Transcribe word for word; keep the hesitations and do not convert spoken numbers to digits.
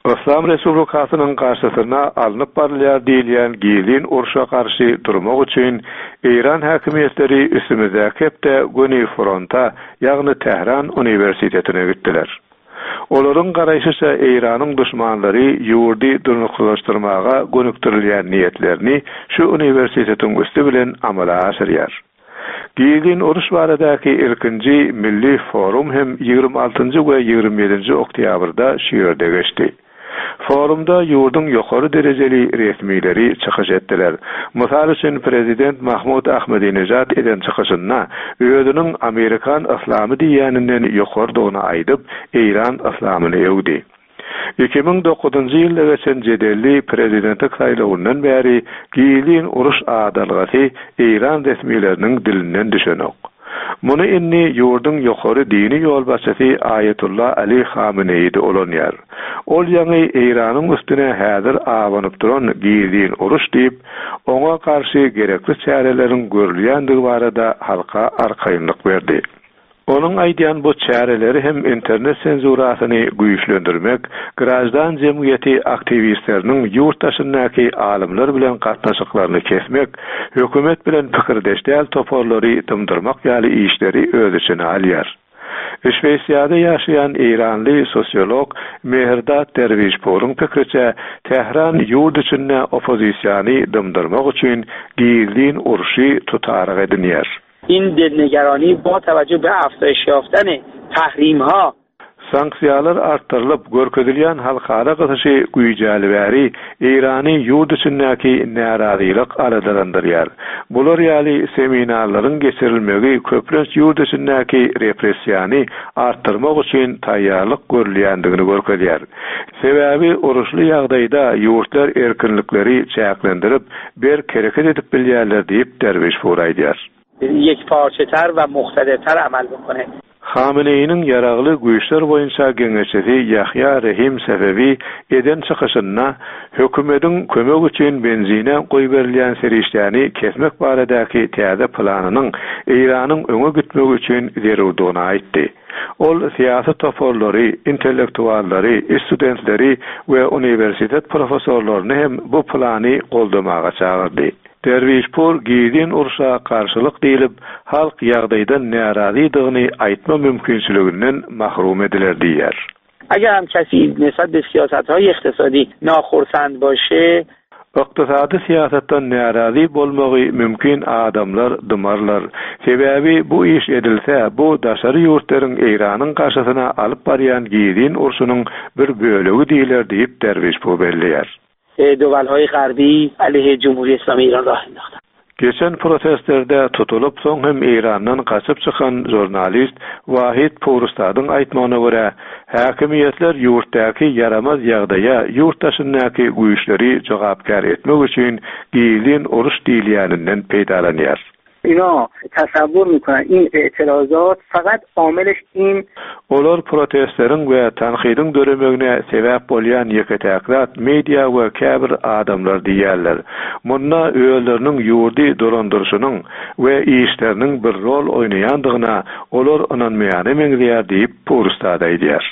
Yslam Respublikasynyň garşysyna alnyp barylýar diýilýän gizlin urşa garşy durmak üçin Eýran häkimiýetleri üstümizdäki hepde göni fronta, ýagny Tähran uniwersitetine gitdiler. Olaryň garaýşyça Eýranyň duşmanlary ýurdy durnuksyzlaşdyrmaga gönükdirilýän niýetlerini şu uniwersitetiň üsti bilen amala aşyrýar. Gizlin uruş baradaky ilkinji milli forum hem ýigrimi altynjy we ýigrimi ýedinji oktýabrda şu ýerde geçdi. Forumda ýurduň ýokary derejeli resmileri çykyş etdiler. Mysal üçin prezident Mahmud Ahmedinejad eden çykyşynda özüniň Amerikan yslamy diýýäninden ýokarydygyny aýdyp, Eýran yslamyny öwdi. Iki müň dokuzynjy ýylda geçen jedelli prezidentlik saýlawyndan bäri gizlin uruş adalgasy Eýran resmileriniň dilinden düşenok. Muny indi ýurduň ýokary dini ýolbaşçysy Aýetullah Ali Hameneýi-de ulanýar. Ol ýaňy Eýranyň üstüne häzir abanyp duran gizlin uruş diýip, oňa garşy gerekli çäreleriň görülýändigi barada halka arkaýynlyk berdi. Onuň aýdýan bu çäreleri hem internet senzurasyny güýçlendirmek, graždan jemgyýeti aktiwistleriniň ýurt daşyndaky alymlar bilen gatnaşyklaryny kesmek, hökümet bilen pikirdeş däl toparlary dymdyrmak ýaly işleri öz içine alýar. Şweýsiýada ýaşaýan Eýranly sosiolog Mehrdad Derwişpuryň pikiriçe, Tähran ýurt içinde oppozisiýany dymdyrmak üçin gizlin urşy tutaryk edinýär. In dilnigarani با توجه به افزایش یافتن تحریم‌ها Sanksiýalar artdyrylyp, görkezilýän halkara gysyşy güýjäli bäri Eýrany ýurt içindäki närazylyk aladalandyrýar. Bular ýaly seminarlaryň geçirilmegi köplenç ýurt içindäki repressiýany artdyrmak üçin taýýarlyk görülýändigini görkezýär. Sebäbi uruşly ýagdaýda ýurtlar erkinlikleri çäklendirip, berk hereket edip bilýärler diýip Derwişpur aýdýar. Yekparçeter we muqtadirter amal bikone. Hameneýiniň ýaragly güýçler boýunça geňeşçisi Ýahýa Rehim Sefewi eden çykyşynda hökümetiň kömek üçin benzine goýberilýän serişdäni kesmek baradaky täze planynyň Eýranyň öňe gitmegi üçin zerurdygyny aýtdy. Ol syýasy toparlary, intellektuallary, studentleri we uniwersitet professorlaryny hem bu plany goldamaga çagyrdy. Derwişpur gizlin urşa garşylyk diýlip, halk ýagdaýdan närazydygyny aýtma mümkinçiliginden mahrum ediler diýýär. Agar hem kesi nisbat be siyasatهای iqtisadi naxursand başe, Ykdysady syýasatdan närazy bolmagy mümkin adamlar dymarlar. Sebäbi bu iş edilse, bu daşary ýurtlaryň Eýranyň garşysyna alyp barýan gizlin urşunyň bir bölegi diýler diýip Derwişpur belleýär. دولهای غربی علیه جمهوری اسلامی ایران راه انداختن. Geçen protestlerde tutulyp soň hem Eýrandan gaçyp çykan žurnalist Wahid Purstadyň aýtmagyna görä, häkimiýetler ýurtdaky ýaramaz ýagdaýa ýurt daşyndaky güýçleri jogapkär etmek üçin gizlin uruş diýilýäninden peýdalanýar. Ina tasavvur میکنن این اعتراضات فقط عاملش این Olar protestleriň we tankydyň döremegine sebäp bolýan ýeke-täk zat media we käbir adamlar diýýärler. Munda özleriniň ýurdy dolandyryşynyň we işleriniň bir rol oýnaýandygyna olar ynanmaýana meňzeýär diýip Purstad aýdýar.